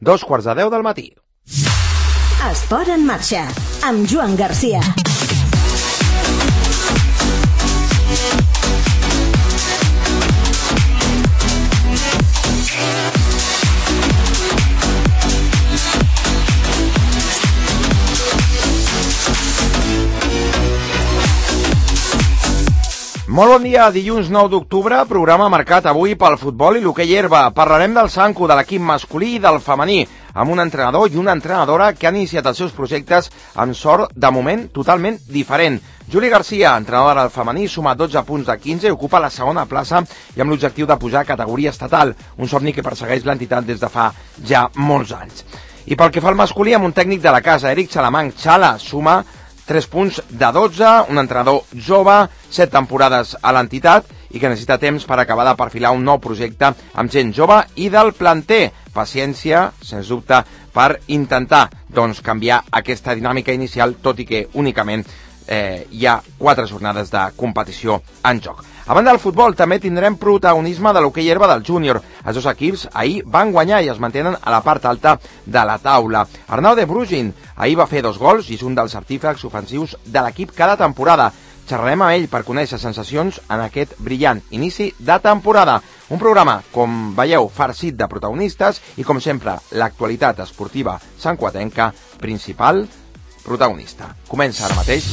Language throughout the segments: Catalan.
2:15 del matí. Esport en marxa, amb Joan Garcia. Molt bon dia, dilluns 9 d'octubre, programa marcat avui pel futbol i l'hoquei herba. Parlarem del Sanku, de l'equip masculí i del femení, amb un entrenador i una entrenadora que han iniciat els seus projectes amb sort, de moment, totalment diferent. Juli Garcia, entrenadora del femení, suma 12 punts de 15 i ocupa la segona plaça i amb l'objectiu de pujar a categoria estatal, un somni que persegueix l'entitat des de fa ja molts anys. I pel que fa al masculí, amb un tècnic de la casa, Eric Xalamang, Xala, suma 3 punts de 12, un entrenador jove, 7 temporades a l'entitat i que necessita temps per acabar de perfilar un nou projecte amb gent jove i del planter. Paciència, sens dubte, per intentar canviar aquesta dinàmica inicial, tot i que únicament hi ha 4 jornades de competició en joc. A banda del futbol, també tindrem protagonisme de l'hoquei herba del júnior. Els dos equips ahir van guanyar i es mantenen a la part alta de la taula. Arnau de Brugin ahir va fer 2 gols i és un dels artífex ofensius de l'equip cada temporada. Xerrarem amb ell per conèixer sensacions en aquest brillant inici de temporada. Un programa, com veieu, farcit de protagonistes i, com sempre, l'actualitat esportiva santcuatenca, principal protagonista. Comença ara mateix.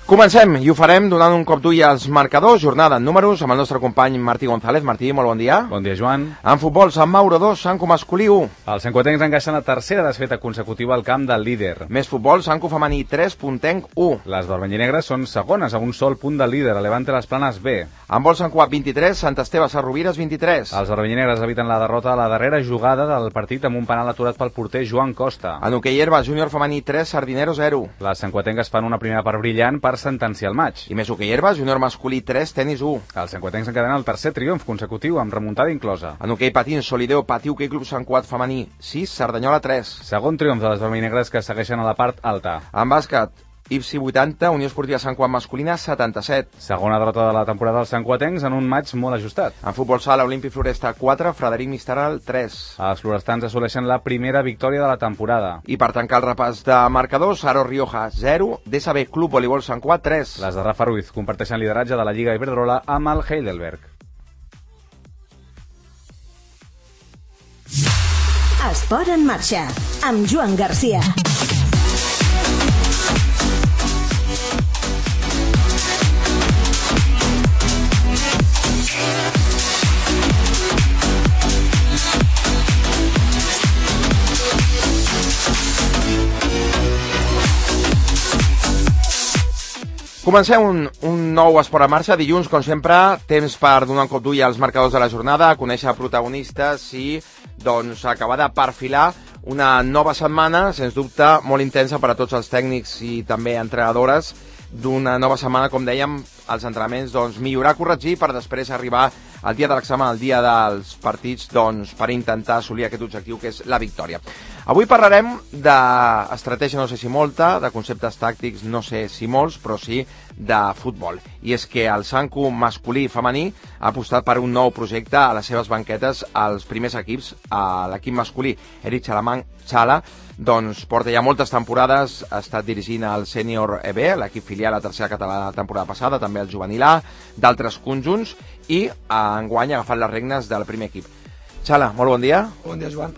Comencem, i ho farem donant un cop d'ull als marcadors, jornada en números, amb el nostre company Martí González. Martí, molt bon dia. Bon dia, Joan. En futbol, Sant Mauro 2, Sanku masculí 1. Els santcuatencs encaixen la tercera desfeta consecutiva al camp del líder. Més futbol, Sanku femení 3, Puntenc 1. Les vermellinegres són segones a un sol punt del líder, a Levante les Planes B. En vol Sant Cugat 23, Sant Esteve Sarrovires 23. Els vermellinegres eviten la derrota a la darrera jugada del partit amb un penal aturat pel porter Joan Costa. En hoquei herba, júnior femení 3, Sardinero 0. Les santcuatenques fan una primera part brillant per sentenciar el match. I més hoquei herba, júnior masculí 3, tenis 1. Els santcuatencs encadenen el tercer triomf consecutiu amb remuntada inclosa. En hoquei patins, Solideo patí hoquei club Sant Cugat femení 6, Cerdanyola 3. Segon triomf de les vermellinegres que segueixen a la part alta. En bàsquet, IFSI 80, Unió Esportiva Sant Cugat masculina 77. Segona derrota de la temporada dels santcuatencs en un match molt ajustat. En futbol sala, Olímpic Floresta 4, Frederic Mistral 3. Els florestans assoleixen la primera victòria de la temporada. I per tancar el repàs de marcadors, Aro Rioja 0, DSB Club Voleibol Sant Cugat 3. Les de Rafa Ruiz comparteixen lideratge de la Lliga Iberdrola amb el Heidelberg. Esport en marxa, amb Joan Garcia. Comencem un nou esport en marxa. Dilluns, com sempre, temps per donar un cop d'ull als marcadors de la jornada, conèixer protagonistes i acabar de perfilar una nova setmana, sens dubte, molt intensa per a tots els tècnics i també entrenadores, d'una nova setmana, com dèiem, els entrenaments, millorar, corregir, per després arribar al dia de l'examen, al dia dels partits, per intentar assolir aquest objectiu que és la victòria. Avui parlarem d'estratègia, no sé si molta, de conceptes tàctics, no sé si molts, però sí de futbol. I és que el Sanku masculí i femení ha apostat per un nou projecte a les seves banquetes als primers equips. A l'equip masculí, Eric Xalamang, Xala, porta ja moltes temporades, ha estat dirigint el Sènior EB, l'equip filial a la tercera catalana la temporada passada, també el juvenil A, d'altres conjunts, i enguany ha agafat les regnes del primer equip. Xala, molt bon dia. Bon dia, Joan.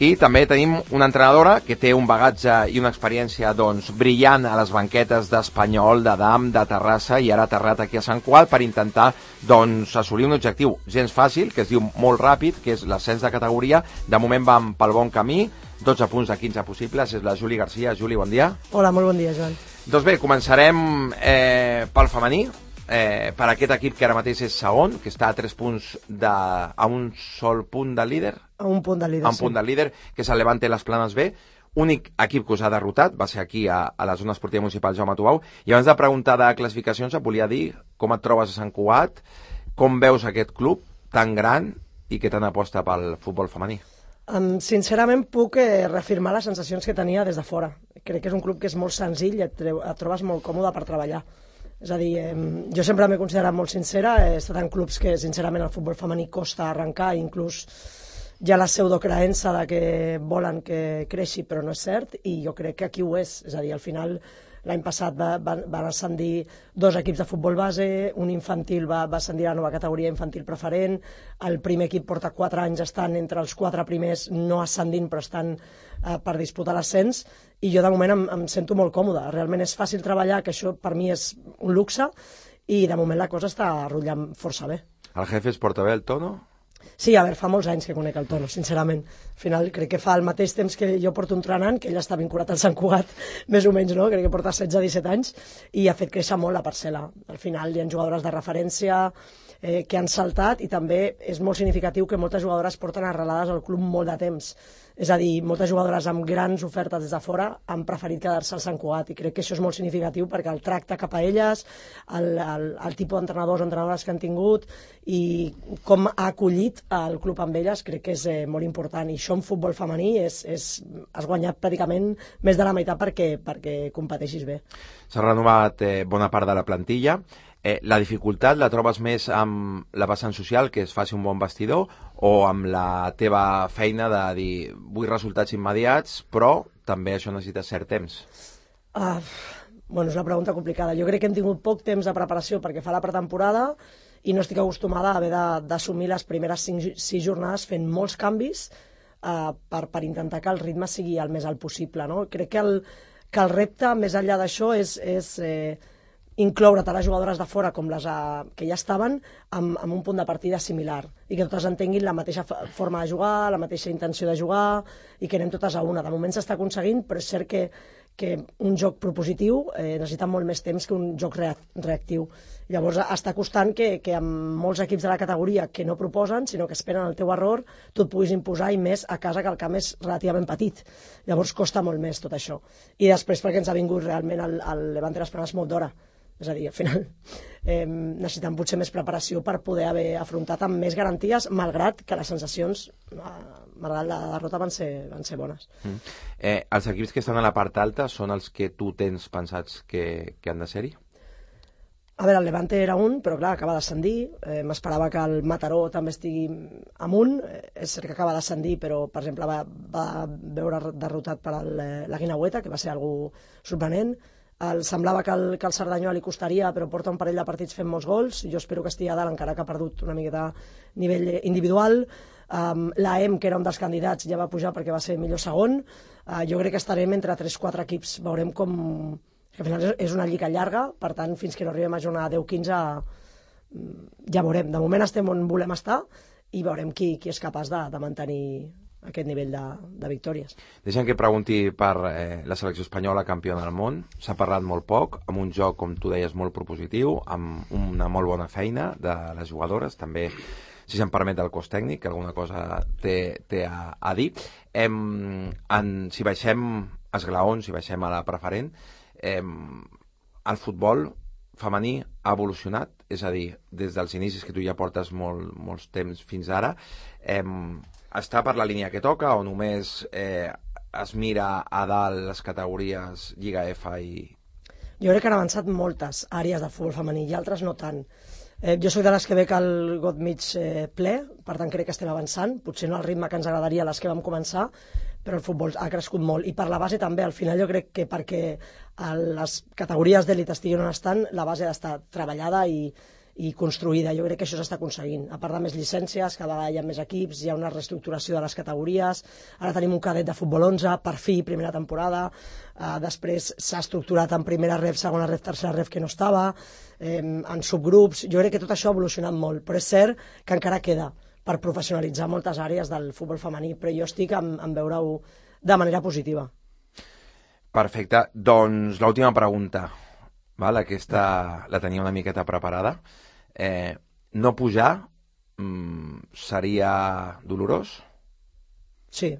I també tenim una entrenadora que té un bagatge i una experiència brillant a les banquetes d'Espanyol, de Dam, de Terrassa, i ara ha aterrat aquí a Sant Cugat per intentar assolir un objectiu gens fàcil, que es diu molt ràpid, que és l'ascens de categoria. De moment vam pel bon camí, 12 punts de 15 possibles. És la Juli Garcia. Juli, bon dia. Hola, molt bon dia, Joan. Doncs bé, començarem pel femení. Per aquest equip que ara mateix és segon, que està a 3 punts a un sol punt del líder. A un punt del líder, a un punt del líder, que és el Levante les Planes B. Únic equip que us ha derrotat va ser aquí a la zona esportiva municipal Jaume Tubau. I abans de preguntar de classificacions et volia dir com et trobes a Sant Cugat, com veus aquest club tan gran i que tant aposta pel futbol femení? Sincerament puc reafirmar les sensacions que tenia des de fora. Crec que és un club que és molt senzill i et trobes molt còmode per treballar. És a dir, jo sempre m'he considerat molt sincera, he estat en clubs que sincerament el futbol femení costa arrencar, inclús hi ha la pseudocreença de que volen que creixi però no és cert, i jo crec que aquí ho és a dir, al final l'any passat van ascendir 2 equips de futbol base, un infantil va ascendir a la nova categoria infantil preferent, el primer equip porta 4 anys estan entre els 4 primers, no ascendint però estan per disputar l'ascens, i jo de moment em sento molt còmode, realment és fàcil treballar, que això per mi és un luxe, i de moment la cosa està rotllant força bé. El jefe es porta bé el tono? Sí, a veure, fa molts anys que conec el Tono, sincerament. Al final crec que fa el mateix temps que jo porto entrenant, que ell està vinculat al Sant Cugat, més o menys, no? Crec que porta 16-17 anys, i ha fet créixer molt la parcel·la. Al final hi ha jugadores de referència que han saltat, i també és molt significatiu que moltes jugadores porten arrelades al club molt de temps. És a dir, moltes jugadores amb grans ofertes des de fora han preferit quedar-se al Sant Cugat, i crec que això és molt significatiu perquè el tracte cap a elles, el tipus d'entrenadors o entrenadores que han tingut i com ha acollit el club amb elles, crec que és molt important, i això en futbol femení has guanyat pràcticament més de la meitat perquè competeixis bé. S'ha renovat bona part de la plantilla. La dificultat la trobes més amb la vessant social, que es faci un bon vestidor, o amb la teva feina de dir vull resultats immediats, però també això necessita cert temps? Bueno, és una pregunta complicada. Jo crec que hem tingut poc temps de preparació perquè fa la pretemporada i no estic acostumada a haver d'assumir les primeres 6 jornades fent molts canvis per intentar que el ritme sigui el més alt possible, no? Crec que el repte, més enllà d'això, és incloure tant les jugadores de fora com les que ja estaven amb un punt de partida similar i que totes entenguin la mateixa forma de jugar, la mateixa intenció de jugar i que anem totes a una. De moment s'està aconseguint, però és cert que un joc propositiu necessita molt més temps que un joc reactiu. Llavors està costant que amb molts equips de la categoria que no proposen, sinó que esperen el teu error, tu et puguis imposar, i més a casa que el camp és relativament petit. Llavors costa molt més tot això. I després perquè ens ha vingut realment el Levante Las Palmas molt d'hora. És a dir, al final necessitem potser més preparació per poder haver afrontat amb més garanties, malgrat que les sensacions, malgrat la derrota, van ser bones. Els equips que estan a la part alta són els que tu tens pensats que han de ser-hi? A veure, el Levante era un, però clar, acaba d'ascendir. M'esperava que el Mataró també estigui amunt. És cert que acaba d'ascendir, però, per exemple, va veure derrotat per la Guinaueta, que va ser algú sorprenent. Semblava que el Cerdanyola li costaria, però porta un parell de partits fent molts gols. Jo espero que estigui a dalt, encara que ha perdut una miqueta a nivell individual. L'AEM, que era un dels candidats, ja va pujar perquè va ser millor segon. Jo crec que estarem entre 3-4 equips. Veurem com... Al final és una lliga llarga, per tant, fins que no arribem a jornada 10-15 ja veurem. De moment estem on volem estar i veurem qui és capaç de mantenir aquest nivell de victòries. Deixa'm que pregunti per la selecció espanyola campiona del món. S'ha parlat molt poc, amb un joc, com tu deies, molt propositiu, amb una molt bona feina de les jugadores, també, si se'm permet, el cos tècnic, que alguna cosa té a dir. Si baixem esglaons, si baixem a la preferent, el futbol femení ha evolucionat, és a dir, des dels inicis que tu ja portes molts temps fins ara, està per la línia que toca o només es mira a dalt les categories Lliga F i... Jo crec que han avançat moltes àrees del futbol femení i altres no tant. Jo soc de les que veig el got mig ple, per tant crec que estem avançant, potser no al ritme que ens agradaria les que vam començar, però el futbol ha crescut molt, i per la base també. Al final jo crec que perquè les categories d'elit estiguin on estan, la base ha d'estar treballada i construïda. Jo crec que això s'està aconseguint. A part de més llicències, cada vegada hi ha més equips, hi ha una reestructuració de les categories, ara tenim un cadet de futbol 11, per fi, primera temporada, després s'ha estructurat en primera ref, segona ref, tercera ref, que no estava, en subgrups. Jo crec que tot això ha evolucionat molt, però és cert que encara queda per professionalitzar moltes àrees del futbol femení, però jo estic en veure-ho de manera positiva. Perfecte. Doncs l'última pregunta, val? Aquesta la tenia una miqueta preparada. No pujar seria dolorós? Sí.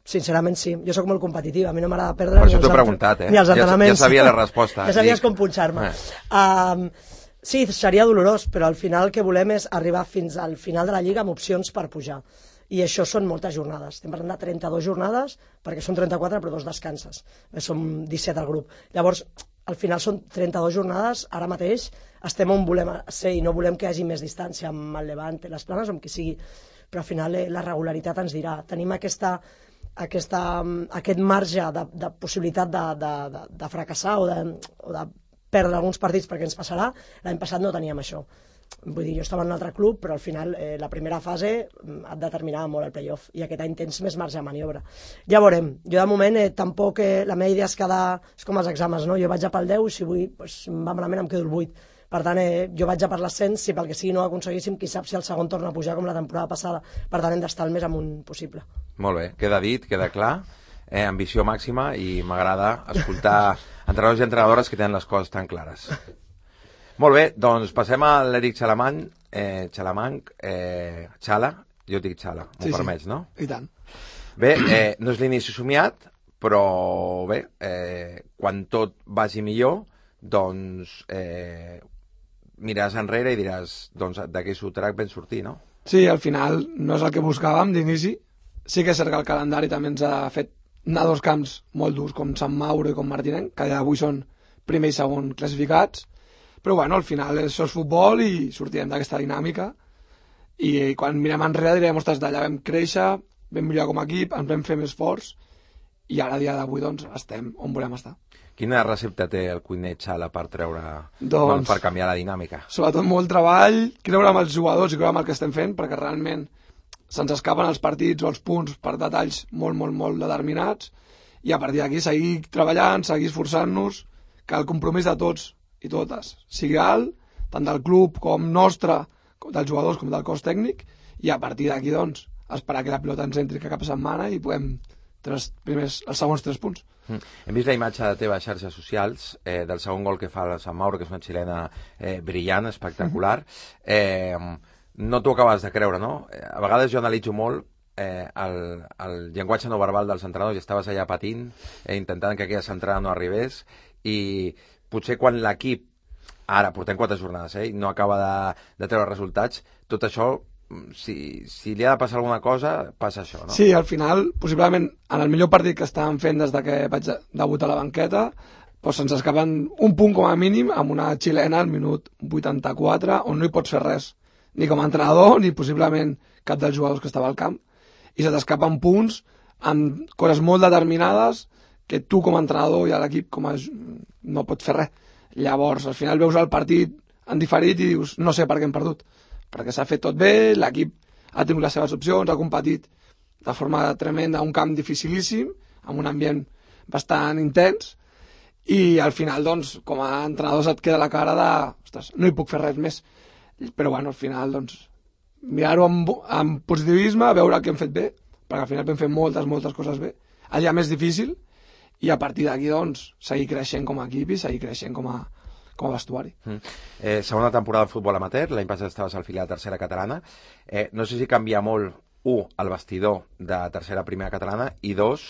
Sincerament sí. Jo sóc molt competitiva, a mi no m'agrada perdre per això t'ho he preguntat, ni els entrenaments. Ja sabia la resposta. Ja sabies com punxar-me. Sí, seria dolorós, però al final el que volem és arribar fins al final de la Lliga amb opcions per pujar. I això són moltes jornades. Estem parlant de 32 jornades, perquè són 34 però 2 descanses. Som 17 al grup. Llavors, al final són 32 jornades, ara mateix estem on volem ser i no volem que hi hagi més distància amb el Levante, les Planes o amb qui sigui, però al final la regularitat ens dirà. Tenim aquest marge de possibilitat de fracassar o de perdre alguns partits perquè ens passarà. L'any passat no teníem això. Vull dir, jo estava en un altre club, però al final la primera fase et determinava molt el playoff i aquest any tens més marge de maniobra. Ja veurem. Jo de moment tampoc la meva idea és quedar... És com els exàmens, no? Jo vaig a pel 10 i si vull, doncs, va malament, em quedo el 8. Per tant, jo vaig a per l'ascens, si pel que sigui no ho aconseguíssim, qui sap si el segon torna a pujar com la temporada passada. Per tant, hem d'estar el més amunt possible. Molt bé, queda dit, queda clar. Ambició màxima i m'agrada escoltar entrenadors i entrenadores que tenen les coses tan clares. Molt bé, doncs passem a l'Eric Xalamanc, Xala, jo dic Xala, m'ho permets, no? I tant. Bé, no és l'inici somiat, però bé, quan tot vagi millor, doncs miraràs enrere i diràs, doncs d'aquest sotrac ben sortir, no? Sí, al final no és el que buscàvem d'inici. Sí que és cert que el calendari també ens ha fet anar a 2 camps molt durs, com Sant Mauro i com Martinenc, que avui són primer i segon classificats. Però bueno, al final això és futbol i sortirem d'aquesta dinàmica i quan mirem enrere direm, ostres, d'allà vam créixer, vam millorar com a equip, ens vam fer més forts i ara, a dia d'avui, doncs, estem on volem estar. Quina recepta té el cuiner Xala per treure, doncs, per canviar la dinàmica? Sobretot molt treball, creure amb els jugadors i creure amb el que estem fent, perquè realment se'ns escapen els partits o els punts per detalls molt, molt, molt determinats i a partir d'aquí seguir treballant, seguir esforçant-nos, que el compromís de tots i totes sigui alt, tant del club com nostre, com dels jugadors com del cos tècnic, i a partir d'aquí, doncs, esperar que la pilota ens entri cap setmana i puguem els segons 3 punts. Hem vist la imatge de teva xarxes socials del segon gol que fa el Sant Mauro, que és una xilena brillant, espectacular. No t'ho acabes de creure, no? A vegades jo analitzo molt el llenguatge no verbal dels entrenadors i estaves allà patint, intentant que aquella centrada no arribés i potser quan l'equip, ara portem 4 jornades, i no acaba de treure resultats, tot això, si li ha de passar alguna cosa, passa això, no? Sí, al final, possiblement, en el millor partit que estàvem fent des que vaig debutar a la banqueta, doncs se'ns escapen un punt com a mínim amb una xilena al minut 84, on no hi pots fer res, ni com a entrenador, ni possiblement cap dels jugadors que estava al camp, i se t'escapen punts amb coses molt determinades que tu com a entrenador i a l'equip no pots fer res. Llavors, al final veus el partit en diferit i dius, no sé per què hem perdut, perquè s'ha fet tot bé, l'equip ha tingut les seves opcions, ha competit de forma tremenda a un camp dificilíssim, amb un ambient bastant intens, i al final, doncs, com a entrenador et queda la cara de, ostres, no hi puc fer res més. Però bueno, al final, doncs, mirar-ho amb positivisme, veure el que hem fet bé, perquè al final vam fer moltes coses bé. El dia més difícil, i a partir d'aquí, doncs, seguir creixent com a equip i seguir creixent com a vestuari. Segona temporada del futbol amateur, l'any passat estaves al filial tercera catalana. No sé si canvia molt, el vestidor de tercera primera catalana, i 2,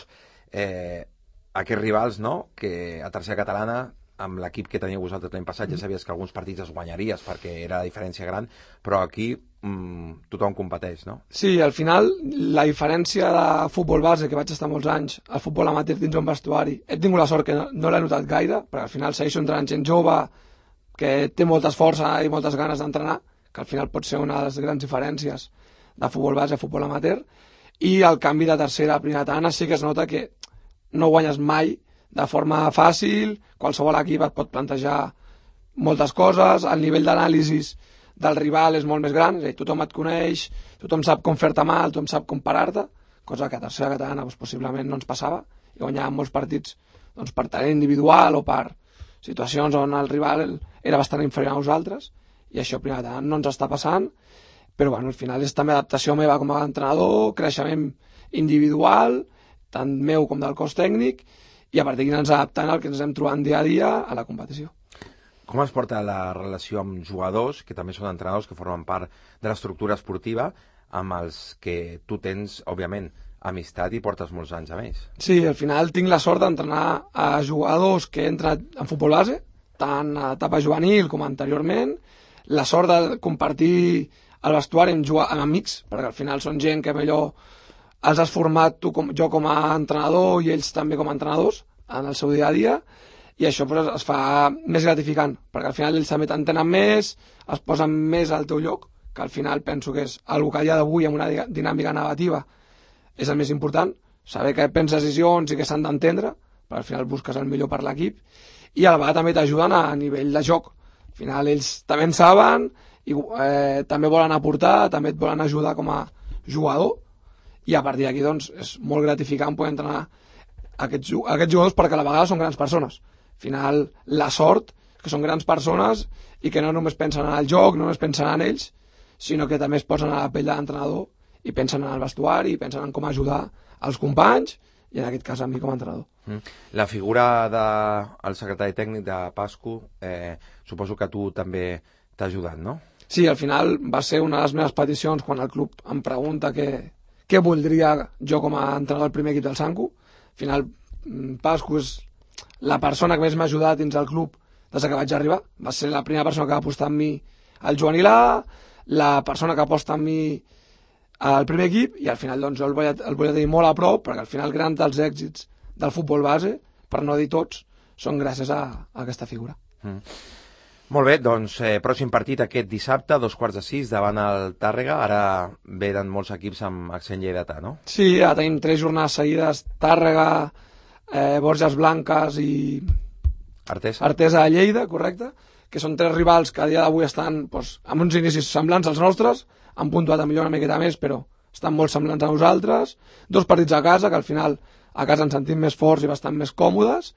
aquests rivals, no?, que a tercera catalana, amb l'equip que teníeu vosaltres l'any passat, ja sabies que alguns partits els guanyaries perquè era la diferència gran, però aquí tothom competeix, no? Sí, al final la diferència de futbol base, que vaig estar molts anys, al futbol amateur dins un vestuari, he tingut la sort que no l'he notat gaire, perquè al final segueixo entrenant gent jove que té moltes força i moltes ganes d'entrenar, que al final pot ser una de les grans diferències de futbol base a futbol amateur, i el canvi de tercera a primera catalana sí que es nota que no guanyes mai de forma fàcil, qualsevol equip et pot plantejar moltes coses, el nivell d'anàlisis del rival és molt més gran, és a dir, tothom et coneix, tothom sap com fer-te mal, tothom sap com parar-te, cosa que a tercera catalana doncs, possiblement no ens passava, i guanyàvem molts partits doncs, per talent individual o per situacions on el rival era bastant inferior a nosaltres, i això a primera catalana no ens està passant, però bueno, al final és també adaptació meva com a entrenador, creixement individual, tant meu com del cos tècnic, i a partir d'aquí ens adaptant al que ens hem trobant dia a dia a la competició. Com es porta la relació amb jugadors, que també són entrenadors que formen part de l'estructura esportiva, amb els que tu tens, òbviament, amistat i portes molts anys a més? Sí, al final tinc la sort d'entrenar a jugadors que he entrenat en futbol base, tant a etapa juvenil com anteriorment, la sort de compartir el vestuari amb amics, perquè al final són gent que millor els has format jo com a entrenador i ells també com a entrenadors en el seu dia a dia, i això pues, es fa més gratificant, perquè al final ells també t'entenen més, es posen més al teu lloc, que al final penso que és una que a dia d'avui amb una dinàmica negativa és el més important, saber que prens decisions i que s'han d'entendre, perquè al final busques el millor per l'equip, i a la vegada també t'ajuden a nivell de joc. Al final ells també en saben i també volen aportar, també et volen ajudar com a jugador, i a partir d'aquí doncs, és molt gratificant poder entrenar aquests jugadors, perquè a la vegada són grans persones. Al final la sort que són grans persones i que no només pensen en el joc, no només pensen en ells, sinó que també es posen a la pell de l'entrenador i pensen en el vestuari, i pensen en com ajudar els companys i en aquest cas a mi com a entrenador. La figura del secretari tècnic de Pascu, suposo que tu també t'ha ajudat, no? Sí, al final va ser una de les meves peticions quan el club em pregunta què voldria jo com a entrenador del primer equip del Sanku. Al final Pascu és la persona que més m'ha ajudat dins del club des que vaig arribar. Va ser la primera persona que va apostar en mi al juvenil A, la persona que aposta en mi al primer equip, i al final doncs, jo el volia tenir molt a prop, perquè al final grans dels èxits del futbol base, per no dir tots, són gràcies a aquesta figura. Molt bé, doncs pròxim partit aquest dissabte, 5:15, davant el Tàrrega. Ara venen molts equips amb accent lleidatà, no? Sí, ja tenim 3 jornades seguides, Tàrrega, Borges Blanques i Artesa de Lleida, correcte, que són 3 rivals que a dia d'avui estan doncs, amb uns inicis semblants als nostres, han puntuat a millor una miqueta més, però estan molt semblants a nosaltres, 2 partits a casa, que al final a casa ens sentim més forts i bastant més còmodes,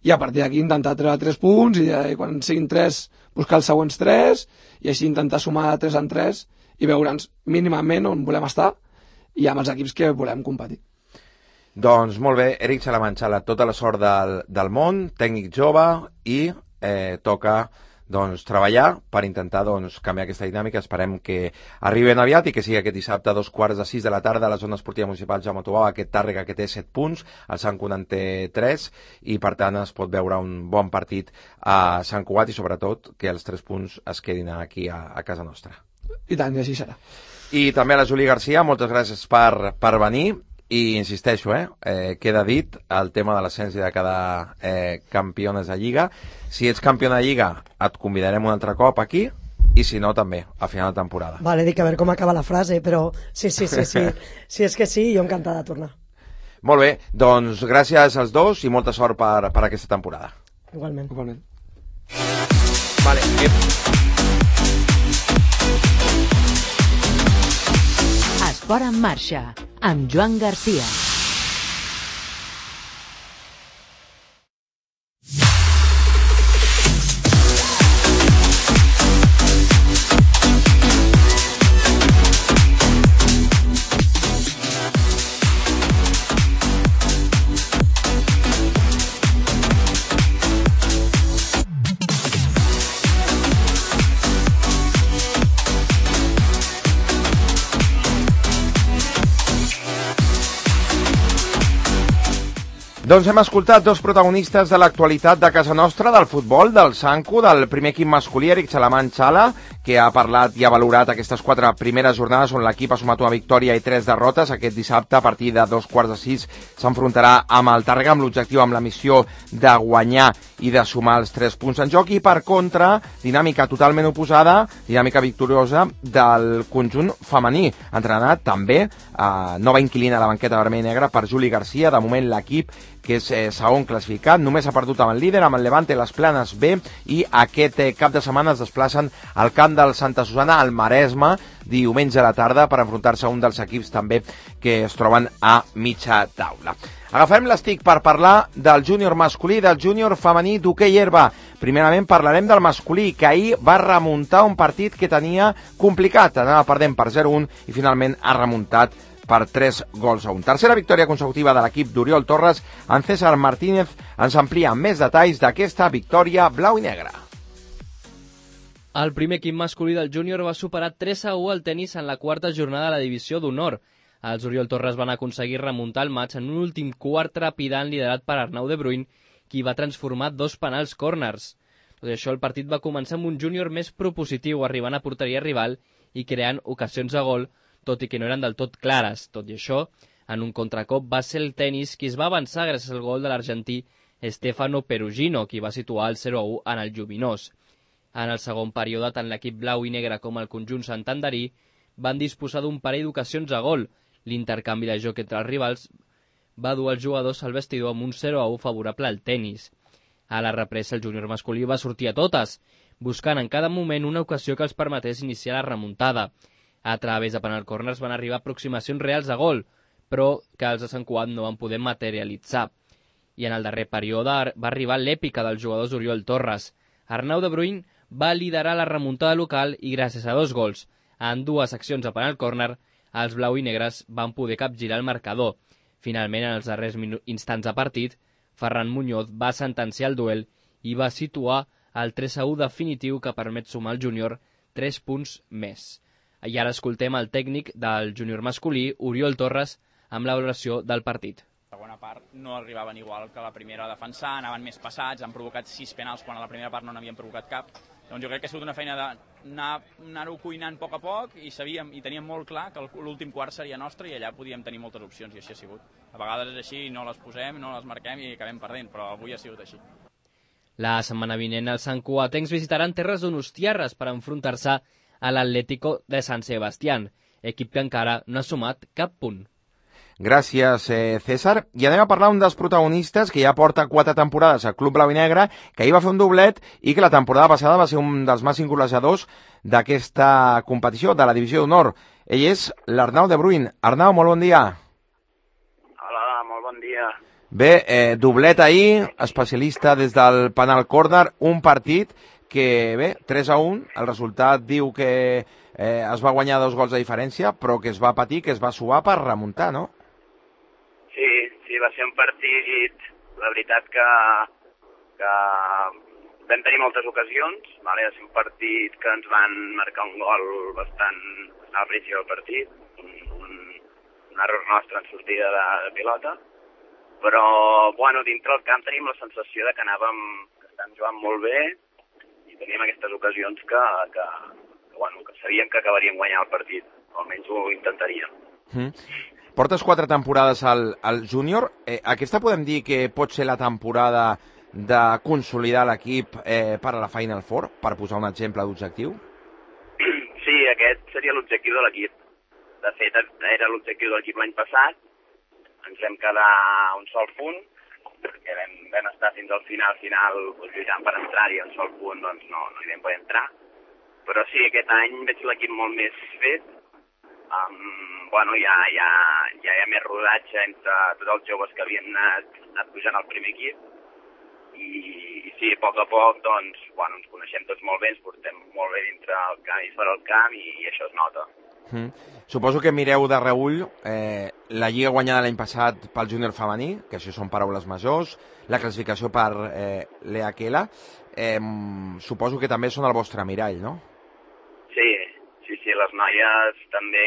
i a partir d'aquí intentar treure 3 punts, i quan siguin 3 buscar els següents 3, i així intentar sumar de 3 en 3 i veure'ns mínimament on volem estar i amb els equips que volem competir. Doncs molt bé, Eric Salamanxala, tota la sort del món, tècnic jove, i toca doncs, treballar per intentar doncs, canviar aquesta dinàmica. Esperem que arriben aviat i que sigui aquest dissabte a 5:15 de la tarda a la zona esportiva municipal Jaume Tobau, aquest Tàrrega que té 7 punts, el Sant Cugat en té 3, i per tant es pot veure un bon partit a Sant Cugat, i sobretot que els 3 punts es quedin aquí a casa nostra. I tant, i així serà. I també a la Júlia Garcia, moltes gràcies per venir. I insisteixo, queda dit el tema de l'ascens i de quedar campiones de Lliga. Si ets campió de Lliga et convidarem un altre cop aquí, i si no també, a final de temporada. Vale, dic a veure com acaba la frase, però sí. Si és que sí, jo encantada de tornar. Molt bé, doncs gràcies als dos i molta sort per aquesta temporada. Igualment. Vale. Esport en marxa, amb Joan Garcia. Doncs hem escoltat 2 protagonistes de l'actualitat de casa nostra, del futbol, del Sanku, del primer equip masculí, Eric Salamanxala, que ha parlat i ha valorat aquestes 4 primeres jornades on l'equip ha sumat una victòria i 3 derrotes. Aquest dissabte, a partir de 5:15, s'enfrontarà amb el Tàrrega amb l'objectiu, amb la missió de guanyar i de sumar els 3 punts en joc. I per contra, dinàmica totalment oposada, dinàmica victoriosa del conjunt femení, entrenat també nova inquilina a la banqueta vermell i negra per Juli Garcia. De moment l'equip, que és segon classificat, només ha perdut amb el líder, amb el Levante Les Planes B, i aquest cap de setmana es desplacen al camp del Santa Susana, al Maresme, diumenge a la tarda, per enfrontar-se a un dels equips també que es troben a mitja taula. Agafem l'estic per parlar del júnior masculí i del júnior femení d'hoquei herba. Primerament parlarem del masculí, que ahir va remuntar un partit que tenia complicat, anava perdent per 0-1 i finalment ha remuntat per 3-1. Tercera victòria consecutiva de l'equip d'Oriol Torres. En César Martínez ens amplia amb més detalls d'aquesta victòria blau i negra. El primer equip masculí del júnior va superar 3-1 al tenis en la quarta jornada de la divisió d'honor. Els Oriol Torres van aconseguir remuntar el maig en un últim quart trepidant liderat per Arnau de Bruyn, qui va transformar 2 penals corners. Tot i això, el partit va començar amb un júnior més propositiu, arribant a porteria rival i creant ocasions de gol, tot i que no eren del tot clares. Tot i això, en un contracop va ser el Tenis qui es va avançar gràcies al gol de l'argentí Stefano Perugino, qui va situar el 0-1 en el Lluminós. En el segon període, tant l'equip blau i negre com el conjunt santanderí van disposar d'un parell d'ocasions a gol. L'intercanvi de joc entre els rivals va dur els jugadors al vestidor amb un 0-1 favorable al Tenis. A la represa, el júnior masculí va sortir a totes, buscant en cada moment una ocasió que els permetés iniciar la remuntada. A través de penal corners van arribar aproximacions reals a gol, però que els de Sant Cugat no van poder materialitzar. I en el darrer període va arribar l'èpica dels jugadors Oriol Torres. Arnau de Bruyn va liderar la remuntada local i gràcies a 2 gols, en 2 accions a penal córner, els blau i negres van poder capgirar el marcador. Finalment, en els darrers instants de partit, Ferran Muñoz va sentenciar el duel i va situar el 3-1 definitiu que permet sumar al júnior 3 punts més. I ara escoltem el tècnic del júnior masculí, Oriol Torres, amb la valoració del partit. La segona part no arribaven igual que la primera a defensar, anaven més passats, han provocat 6 penals quan a la primera part no n'havien provocat cap. Doncs jo crec que ha sigut una feina d'anar-ho cuinant a poc i sabíem i teníem molt clar que l'últim quart seria nostre i allà podíem tenir moltes opcions i així ha sigut. A vegades és així, no les posem, no les marquem i acabem perdent, però avui ha sigut així. La setmana vinent els santcugatencs visitaran terres donostiarres per enfrontar-se a l'Atlético de San Sebastián, equip que encara no ha sumat cap punt. Gràcies, César. I anem a parlar un dels protagonistes que ja porta 4 temporades al Club Blau i Negre, que ahir va fer un doblet i que la temporada passada va ser un dels màxims golejadors d'aquesta competició, de la Divisió d'Honor. Ell és l'Arnau de Bruyn. Arnau, molt bon dia. Hola, molt bon dia. Bé, doblet ahir, especialista des del penal córner, un partit que, bé, 3-1, el resultat diu que es va guanyar 2 gols de diferència, però que es va patir, que es va suar per remuntar, no? Sí, va ser un partit, la veritat que vam tenir moltes ocasions, vale? Va ser un partit que ens van marcar un gol bastant al principi del partit, un error nostre en sortida de pilota, però bueno, dintre el camp tenim la sensació de que estàvem jugant molt bé i teníem aquestes ocasions que sabíem que acabaríem guanyant el partit, o almenys ho intentaríem. Portes 4 temporades al júnior. Aquesta podem dir que pot ser la temporada de consolidar l'equip per a la Final Four, per posar un exemple d'objectiu? Sí, aquest seria l'objectiu de l'equip. De fet, era l'objectiu de l'equip l'any passat. Ens vam quedar un sol punt, perquè vam estar fins al final lluitant per entrar-hi, un sol punt doncs no hi vam poder entrar. Però sí, aquest any veig l'equip molt més fet. Ja hi ha més rodatge entre tots els joves que havien anat pujant al primer equip i sí, a poc doncs, ens coneixem tots molt bé, ens portem molt bé dintre el camp i fora el camp i això es nota. Suposo que mireu de reull la lliga guanyada l'any passat pel júnior femení, que això són paraules majors, la classificació per l'EAQUELA. Suposo que també són el vostre mirall, no? Sí, les noies també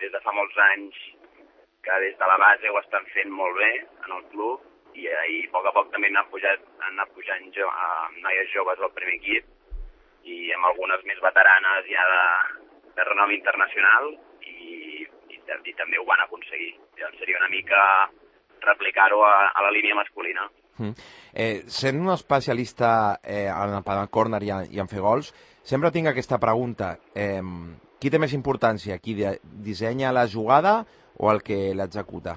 des de fa molts anys que des de la base ho estan fent molt bé en el club i a poc també han anat pujant noies joves al primer equip i amb algunes més veteranes ja de renom internacional i també ho van aconseguir. Llavors seria una mica replicar-ho a la línia masculina. Sent un especialista en el penal córner i en fer gols, sempre tinc aquesta pregunta. Qui té més importància? Qui dissenya la jugada o el que l'executa?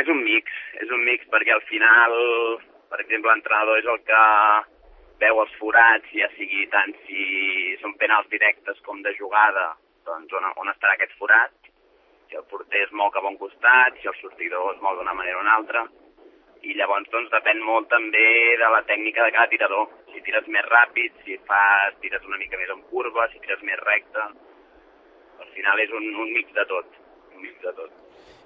És un mix perquè al final, per exemple, l'entrenador és el que veu els forats, ja sigui tant si són penals directes com de jugada, doncs on estarà aquest forat, si el porter es mou cap a un costat, si el sortidor es mou d'una manera o una altra, i llavors doncs depèn molt també de la tècnica de cada tirador. Si tires més ràpid, si tires una mica més en curva, si tires més recte. Al final és un mix de tot.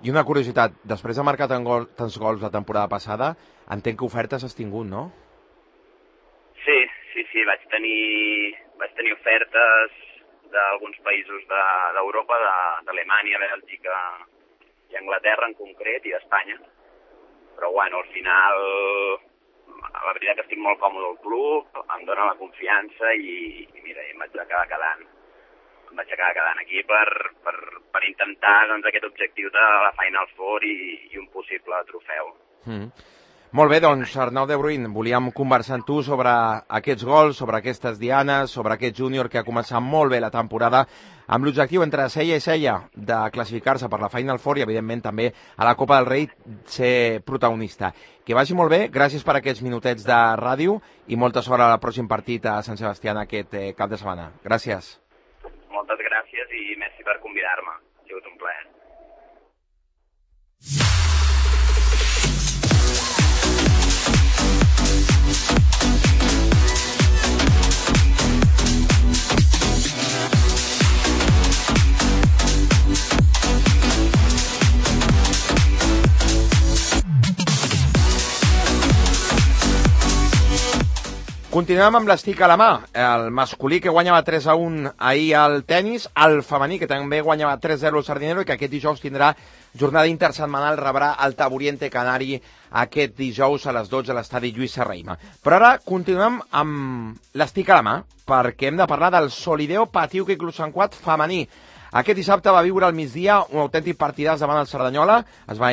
I una curiositat, després de marcar tants gols la temporada passada, entenc que ofertes has tingut, no? Sí, vaig tenir ofertes d'alguns països d'Europa, d'Alemanya, Bèlgica i Anglaterra en concret, i d'Espanya. Però al final la veritat que estic molt còmode al club, em dona la confiança i mira, em vaig acabar quedant. Em vaig acabar quedant aquí per intentar doncs, aquest objectiu de la Final Four i un possible trofeu. Molt bé, doncs, Arnau de Bruyn, volíem conversar amb tu sobre aquests gols, sobre aquestes dianes, sobre aquest júnior que ha començat molt bé la temporada, amb l'objectiu entre cella i cella de classificar-se per la Final Four i, evidentment, també a la Copa del Rei ser protagonista. Que vagi molt bé, gràcies per aquests minutets de ràdio i molta sort al pròxim partit a Sant Sebastià aquest cap de setmana. Gràcies. Moltes gràcies i merci per convidar-me. Ha sigut un plaer. Continuem amb l'estic a la mà. El masculí que guanyava 3-1 ahir al tennis, el femení que també guanyava 3-0 al Sardinero i que aquest dijous tindrà jornada intersetmanal, rebrà el Taburiente Canari aquest dijous a les 12 a l'estadi Lluís Serrahima. Però ara continuem amb l'estic a la mà perquè hem de parlar del Solideo Patiuca Club Sant Cugat femení. Aquest dissabte va viure al migdia un autèntic partidàs davant el Cerdanyola. Es va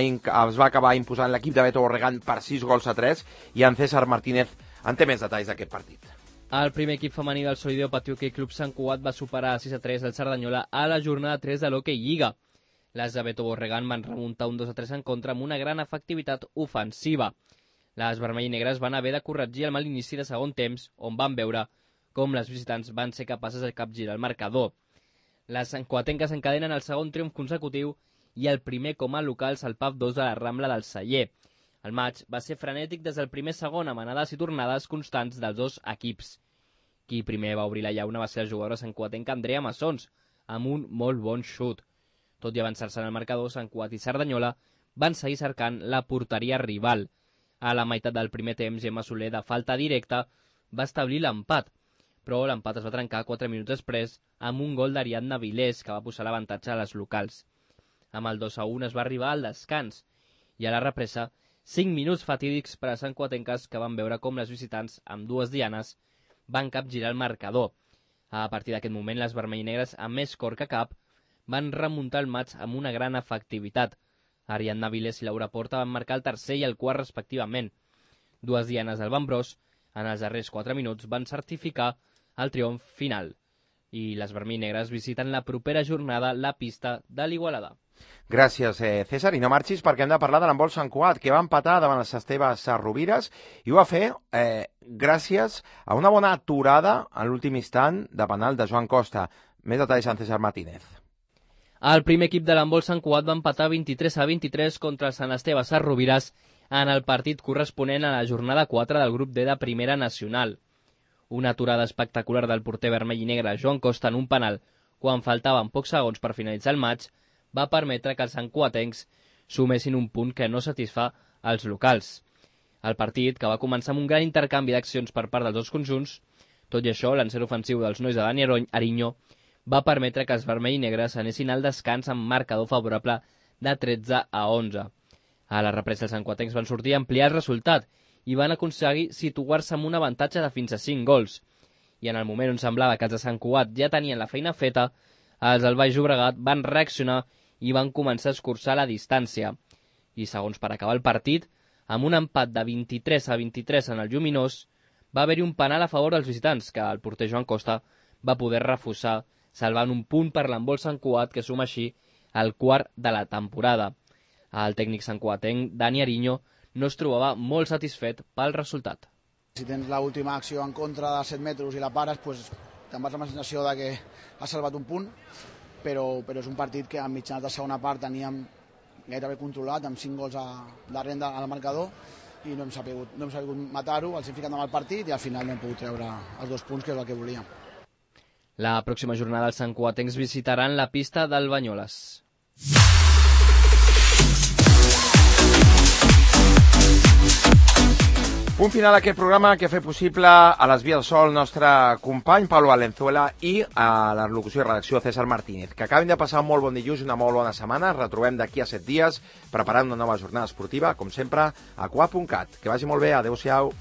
acabar imposant l'equip de Beto Borregant per 6-3 i en César Martínez en té més detalls d'aquest partit. El primer equip femení del Solideo Patiuca Club Sant Cugat va superar 6-3 el Cerdanyola a la jornada 3 de l'Hockey Lliga. Les de Beto Borregant van remuntar un 2-3 en contra amb una gran efectivitat ofensiva. Les vermell i negres van haver de corregir el mal inici de segon temps, on van veure com les visitants van ser capaces de capgirar el marcador. Les santcuatenques encadenen el segon triomf consecutiu i el primer com a locals al PAF 2 de la Rambla del Celler. El maig va ser frenètic des del primer segon amb anades i tornades constants dels dos equips. Qui primer va obrir la llauna va ser la jugadora santcuatenca Andrea Massons, amb un molt bon xut. Tot i avançar-se en el marcador, Sant Cugat i Cerdanyola van seguir cercant la porteria rival. A la meitat del primer temps, Gemma Soler, de falta directa, va establir l'empat, però l'empat es va trencar 4 minuts després amb un gol d'Ariadna Vilés, que va posar l'avantatge a les locals. Amb el 2-1 es va arribar al descans, i a la represa 5 minuts fatídics per a santcuatenques que van veure com les visitants, amb dues dianes, van capgirar el marcador. A partir d'aquest moment, les vermell-negres, amb més cor que cap, van remuntar el maig amb una gran efectivitat. Ariadna Vilés i Laura Porta van marcar el tercer i el quart respectivament. Dues dianes del Bambrós, en els darrers 4 minuts, van certificar el triomf final. I les vermell-negres visiten la propera jornada la pista de l'Igualada. Gràcies, César. I no marxis perquè hem de parlar de l'handbol Sant Cugat, que va empatar davant les Esteves Rovires i ho va fer gràcies a una bona aturada en l'últim instant de penal de Joan Costa. Més detalls en César Martínez. El primer equip de l'handbol Sant Cugat va empatar 23-23 contra el Sant Esteve Rovires en el partit corresponent a la jornada 4 del grup D de Primera Nacional. Una aturada espectacular del porter vermell i negre Joan Costa en un penal quan faltaven pocs segons per finalitzar el maig va permetre que els santcuatencs sumessin un punt que no satisfà als locals. El partit, que va començar amb un gran intercanvi d'accions per part dels dos conjunts, tot i això, l'encert ofensiu dels nois de Dani Ariño va permetre que els vermell i negres anessin al descans amb marcador favorable de 13-11. A la represa els santcuatencs van sortir a ampliar el resultat i van aconseguir situar-se amb un avantatge de fins a 5 gols. I en el moment on semblava que els de Sant Cugat ja tenien la feina feta, els del Baix Llobregat van reaccionar i van començar a escurçar la distància. I segons per acabar el partit, amb un empat de 23-23 en el Lluminós, va haver-hi un penal a favor dels visitants, que el porter Joan Costa va poder refusar, salvant un punt per l'handbol Sant Cugat, que suma així el quart de la temporada. El tècnic santcuatenc Dani Ariño no es trobava molt satisfet pel resultat. Si tens l'última acció en contra de 7 metres i la pares, pues, te'n vas amb la sensació de que has salvat un punt, però és un partit que a mitjans de segona part teníem gairebé controlat, amb 5 gols darrere al marcador, i no hem sabut matar-ho, els hem ficat amb el partit i al final no hem pogut treure els 2 punts, que és el que volíem. La pròxima jornada els santcuatencs visitaran la pista del Banyoles. Punt final d'aquest programa que ha fet possible a les vies del sol el nostre company Pablo Valenzuela i a la locució i redacció César Martínez. Que acabin de passar un molt bon dilluns i una molt bona setmana. Es retrobem d'aquí a 7 dies preparant una nova jornada esportiva, com sempre, a qua.cat. Que vagi molt bé, adeu-siau.